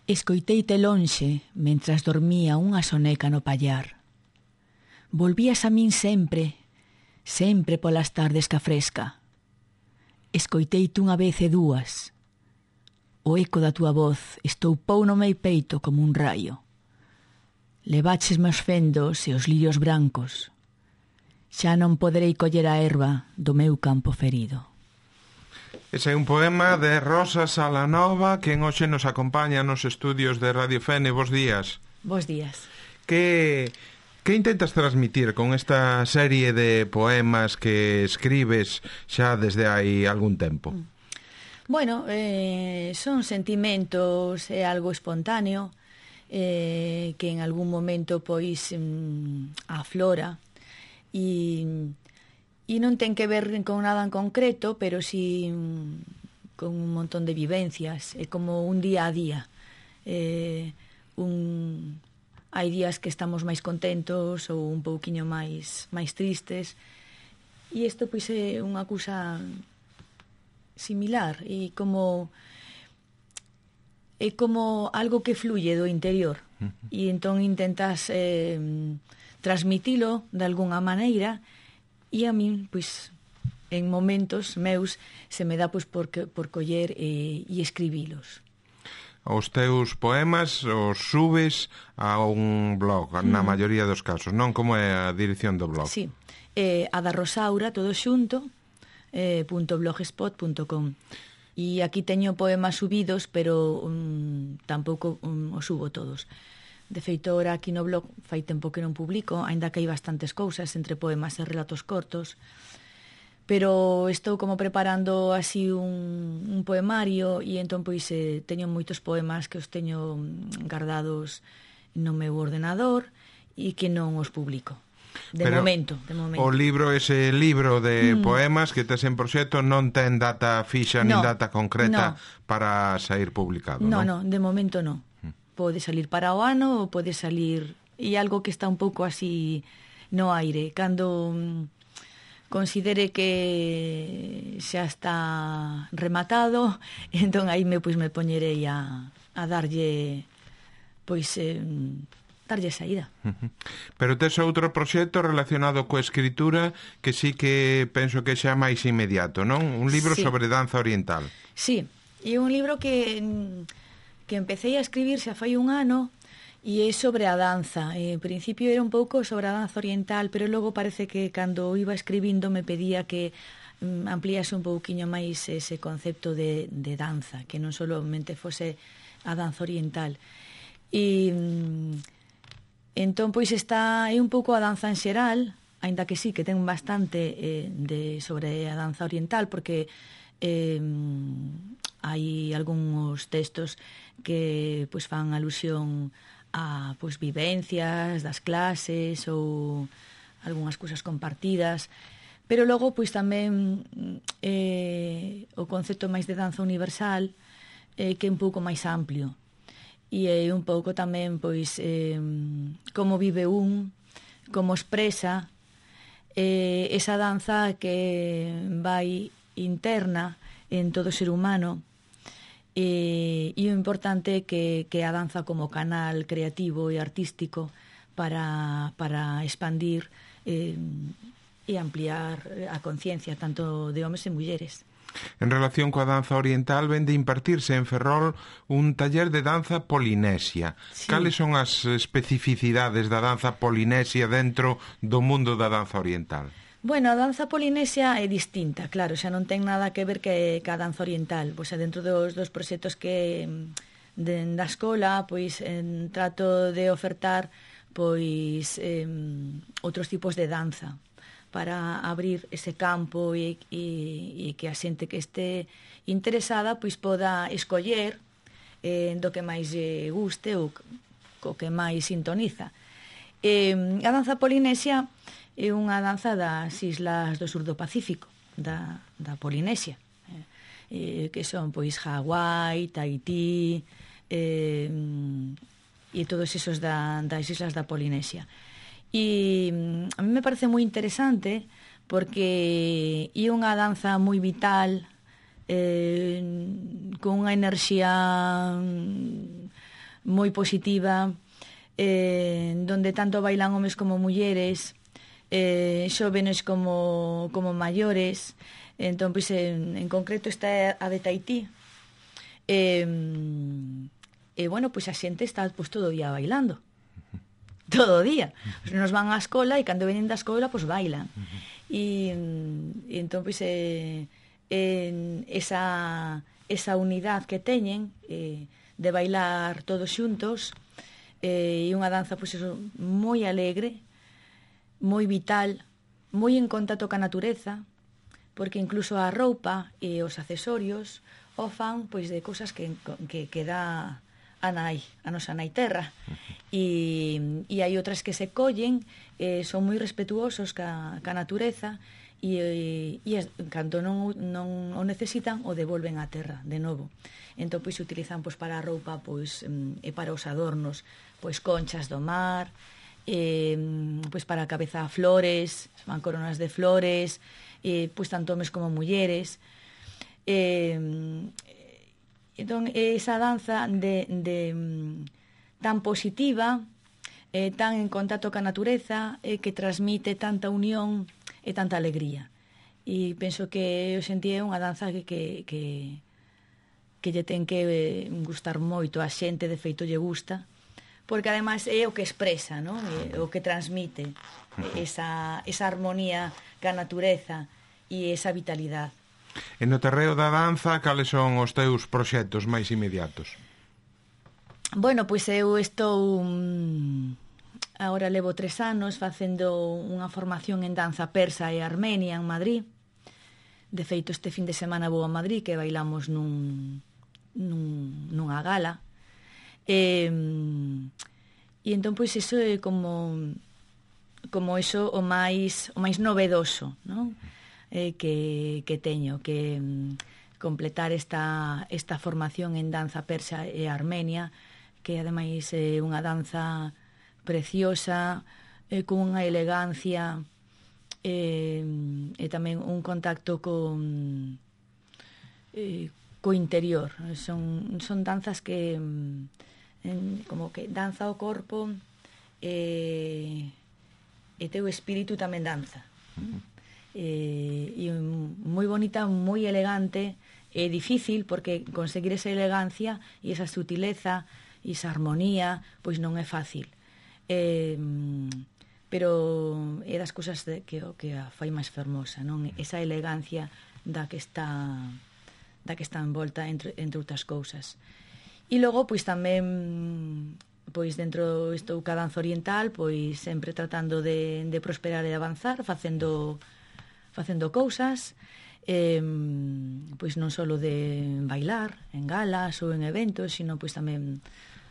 Escoiteite lonxe mentras dormía unha soneca no pallar. Volvías a min sempre, sempre polas tardes ca fresca. Escoiteite unha vez e dúas. O eco da túa voz estoupou no meu peito como un raio. Levaches meus fendos e os lirios brancos. Xa non poderei coller a erva do meu campo ferido. Ese é un poema de Rosa Salanova, que hoxe nos acompaña nos estudios de Radio Fene. Bos días. Bos días. Que intentas transmitir con esta serie de poemas que escribes xa desde hai algún tempo? Bueno, son sentimentos, é algo espontáneo, que en algún momento pois aflora e non ten que ver con nada en concreto, pero sí con un montón de vivencias. É como un día a día. Hai días que estamos máis contentos ou un pouquiño máis tristes, e isto pois é unha cousa similar, e é como algo que fluye do interior, e entón intentas transmitilo de algunha maneira, e a min, pois, en momentos meus se me dá pois por coller e escribilos. Os teus poemas os subes a un blog, na maioría dos casos, non? Como é a dirección do blog? Sí, a da Rosaura, todo xunto, .blogspot.com. E aquí teño poemas subidos, pero tampouco os subo todos. De feito, ora aquí no blog fai tempo que non publico, aínda que hai bastantes cousas entre poemas e relatos cortos, pero estou como preparando así un poemario, e entón pois teño moitos poemas que os teño guardados no meu ordenador e que non os publico. De momento. O libro, ese libro de poemas que tes en proxecto, non ten data fixa nin data concreta para sair publicado, non? Non, de momento non. Pode salir para o ano ou pode salir... E algo que está un pouco así no aire. Cando considere que xa está rematado, entón aí me poñerei a darlle darlle saída. Pero tes outro proxecto relacionado coa escritura que sí que penso que xa máis inmediato, non? Un libro sobre danza oriental. Sí, e un libro que empecé a escribir xa fai un ano, e é sobre a danza. En principio era un pouco sobre a danza oriental, pero logo parece que cando iba escribindo me pedía que ampliase un pouquiño máis ese concepto de danza, que non solamente fose a danza oriental. E entón pois é un pouco a danza en xeral, aínda que sí que ten bastante sobre a danza oriental, porque hai algúns textos que pois fan alusión a pois vivencias das clases ou algunhas cousas compartidas, pero logo pois tamén o concepto máis de danza universal que é un pouco máis amplio, e é un pouco tamén pois como vive como expresa esa danza que vai interna en todo ser humano, e o importante que a danza como canal creativo e artístico para expandir e ampliar a conciencia tanto de homes e mulleres. En relación coa danza oriental, ven de impartirse en Ferrol un taller de danza polinesia. Sí. Cales son as especificidades da danza polinesia dentro do mundo da danza oriental? Bueno, a danza polinesia é distinta, claro, xa non ten nada que ver que a danza oriental. Pois dentro dos proxectos que da escola, pois trato de ofertar pois outros tipos de danza para abrir ese campo e que a xente que este interesada pois poda escoller do que máis lle guste ou co que máis sintoniza. A danza polinesia é unha danza das islas do sur do Pacífico, da Polinesia, que son pois Hawái, Tahití e todos esos das islas da Polinesia. E a mí me parece moi interesante porque é unha danza moi vital, con unha enerxía moi positiva, donde tanto bailan homes como mulleres, xóvenes como maiores. Entón, pois, en concreto está a de Tahití. Bueno, pois a xente está pois, todo o día bailando. Todo o día. Nos van á escola e cando venen da escola, pois bailan. E entón, pois, esa unidade que teñen de bailar todos xuntos, e unha danza, pois, eso, moi alegre, moi vital, moi en contacto ca natureza, porque incluso a roupa e os accesorios o fan pois de cousas que dá a nosa nai terra. E hai outras que se collen, son moi respetuosos ca natureza, e cando non o necesitan o devolven á terra de novo. Entón pois se utilizan pois para a roupa, pois e para os adornos, pois conchas do mar, pois para a cabeza flores, van coronas de flores, pois tanto homes como mulleres. Entón esa danza tan positiva, tan en contacto ca natureza, que transmite tanta unión e tanta alegría. E penso que hoxe en día é unha danza que lle ten que gustar moito a xente, de feito lle gusta, porque ademais é o que expresa, non? É o que transmite esa armonía ca natureza e esa vitalidade. E no terreo da danza, cales son os teus proxectos máis inmediatos? Bueno, pois eu estou agora levo 3 anos facendo unha formación en danza persa e armenia en Madrid. De feito, este fin de semana vou a Madrid, que bailamos nunha gala. E entón, pois, iso é como iso o máis novedoso, non? Que teño, que completar esta formación en danza persa e armenia, que ademais é unha danza preciosa, con unha elegancia, e tamén un contacto co interior. Son danzas que como que danza o corpo, e teu espírito tamén danza. E moi bonita, moi elegante. É difícil porque conseguir esa elegancia e esa sutileza e esa armonía pois non é fácil, pero é das cousas que a fai máis fermosa, non? Esa elegancia da que está envolta entre outras cousas. E logo pois tamén pois dentro estou ca danza oriental, pois sempre tratando de prosperar e avanzar, facendo cousas, pois non só de bailar en galas ou en eventos, sino pois tamén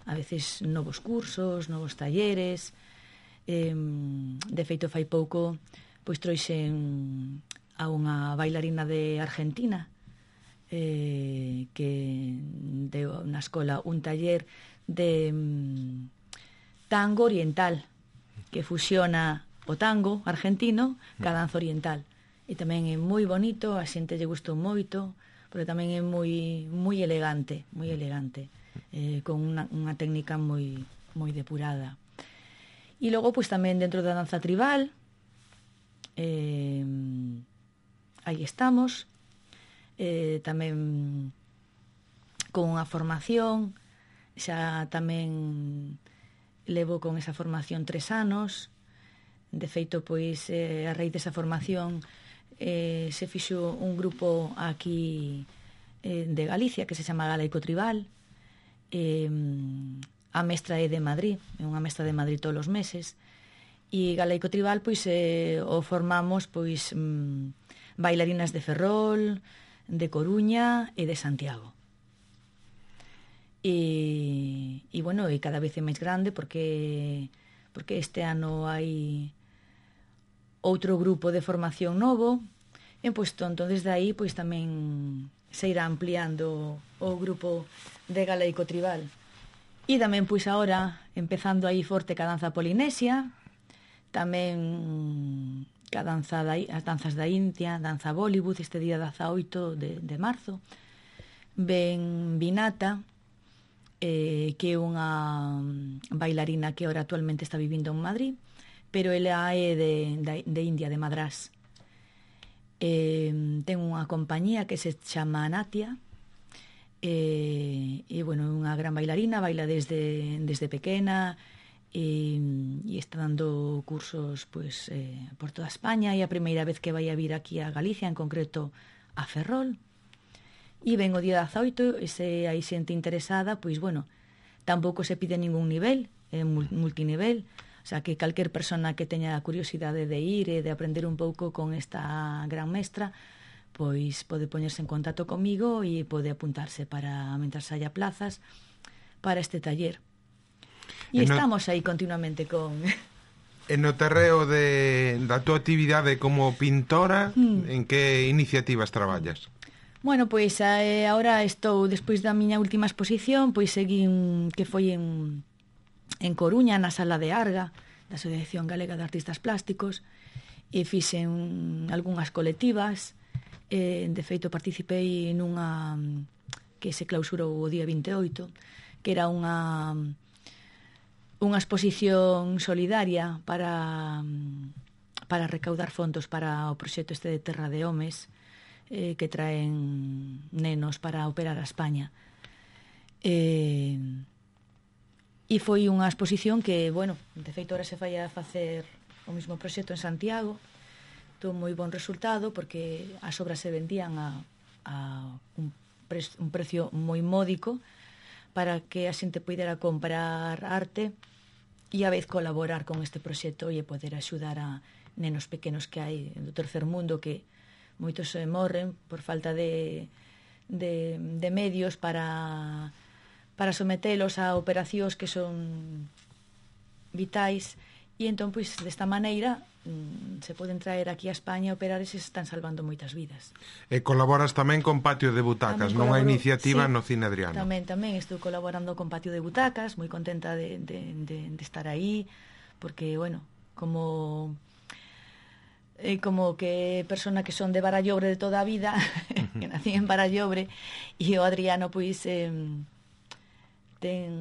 a veces novos cursos, novos talleres. De feito, fai pouco pois trouxen a unha bailarina de Argentina, que deu na escola un taller de tango oriental, que fusiona o tango argentino ca danza oriental. E tamén é moi bonito, a xente lle gustou moito, porque tamén é moi elegante, con unha técnica moi depurada. E logo, pois tamén dentro da danza tribal, aí estamos, tamén con unha formación, xa tamén levo con esa formación 3 anos. De feito, pois, a raíz desa formación se fixo un grupo aquí de Galicia que se chama Galaico Tribal. A mestra é de Madrid, é unha mestra de Madrid todos os meses, e Galaico Tribal pois o formamos pois bailarinas de Ferrol, de Coruña e de Santiago. E bueno, e cada vez é máis grande porque este ano hai outro grupo de formación novo, e pois entón desde aí pois tamén se irá ampliando o grupo de Galaico Tribal. E tamén pois agora empezando aí forte ca danza polinesia, tamén as danzas da India, danza Bollywood, este día 18 de marzo, ben Vinata, que é unha bailarina que ahora actualmente está vivindo en Madrid, pero ela é de India, de Madrás. Ten unha compañía que se chama Natia, e bueno, é unha gran bailarina, baila desde pequena, e está dando cursos pues, por toda España, e a primeira vez que vai a vir aquí a Galicia, en concreto a Ferrol, e ven o día 18, e se hai xente interesada, pois bueno, tampouco se pide ningún nivel, é multinivel, o sea que calquer persona que teña a curiosidade de ir e de aprender un pouco con esta gran mestra, pois pode poñerse en contacto comigo e pode apuntarse para, mentras haya plazas, para este taller. E estamos aí continuamente con... E no terreo da túa actividade como pintora, en que iniciativas traballas? Bueno, pois agora estou, despois da miña última exposición, pois seguín, que foi en Coruña, na Sala de Arga, da Asociación Galega de Artistas Plásticos, e fixen algunhas colectivas, de feito participei nunha que se clausurou o día 28, que era unha exposición solidaria para recaudar fondos para o proxecto este de Terra de Homes, que traen nenos para operar a España. E foi unha exposición que, bueno, de feito ahora se fai a facer o mesmo proxecto en Santiago, tuvo moi bon resultado porque as obras se vendían a un precio moi módico para que a xente poidera comprar arte e a vez colaborar con este proxecto e poder axudar a nenos pequenos que hai do tercer mundo, que moitos morren por falta de medios para sometelos a operacións que son vitais, e entón, pois, desta maneira se poden traer aquí a España a operar e se están salvando moitas vidas. E colaboras tamén con Patio de Butacas, nunha iniciativa no Cine Adriano. Tamén estou colaborando con Patio de Butacas, moi contenta de estar aí, porque, bueno, como que persona que son de Barallobre de toda a vida, que nací en Barallobre, e o Adriano, pois, ten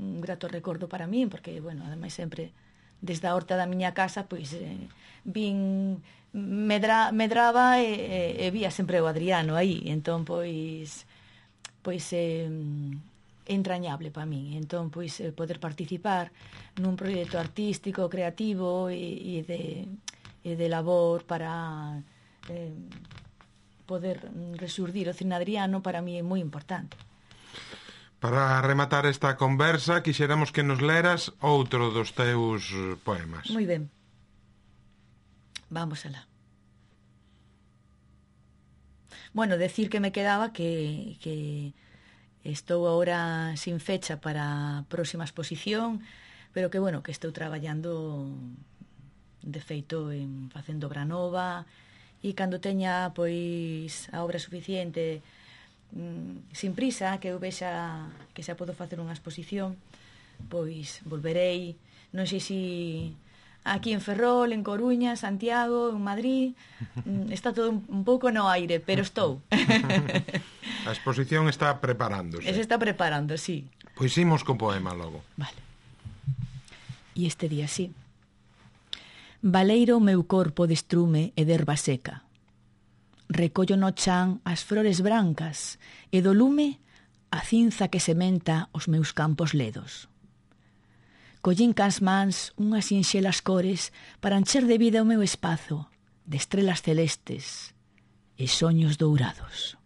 un grato recordo para min, porque, bueno, ademais sempre desde a horta da miña casa, pois medraba e vía sempre o Adriano aí, entón pois é entrañable para min. Entón pois poder participar nun proxecto artístico, creativo e de labor para poder resurdir o Cine Adriano, para mí é moi importante. Para rematar esta conversa, quixéramos que nos leras outro dos teus poemas. Moi ben. Vamos alá. Bueno, decir que me quedaba que estou agora sin fecha para a próxima exposición, pero que, bueno, que estou traballando de feito en facendo obra nova, e cando teña, pois, a obra suficiente, sin prisa, que eu vexa que xa podo facer unha exposición, pois volverei, non sei se aquí en Ferrol, en Coruña, Santiago, en Madrid, está todo un pouco no aire, pero estou. A exposición está preparándose. Se está preparando, sí. Pois imos co poema logo. Vale. E este día sí. Baleiro o meu corpo de estrume e de erva seca. Recollo no chan as flores brancas e do lume a cinza que sementa os meus campos ledos. Collín cas mans unhas sinxelas cores para encher de vida o meu espazo, de estrelas celestes e soños dourados.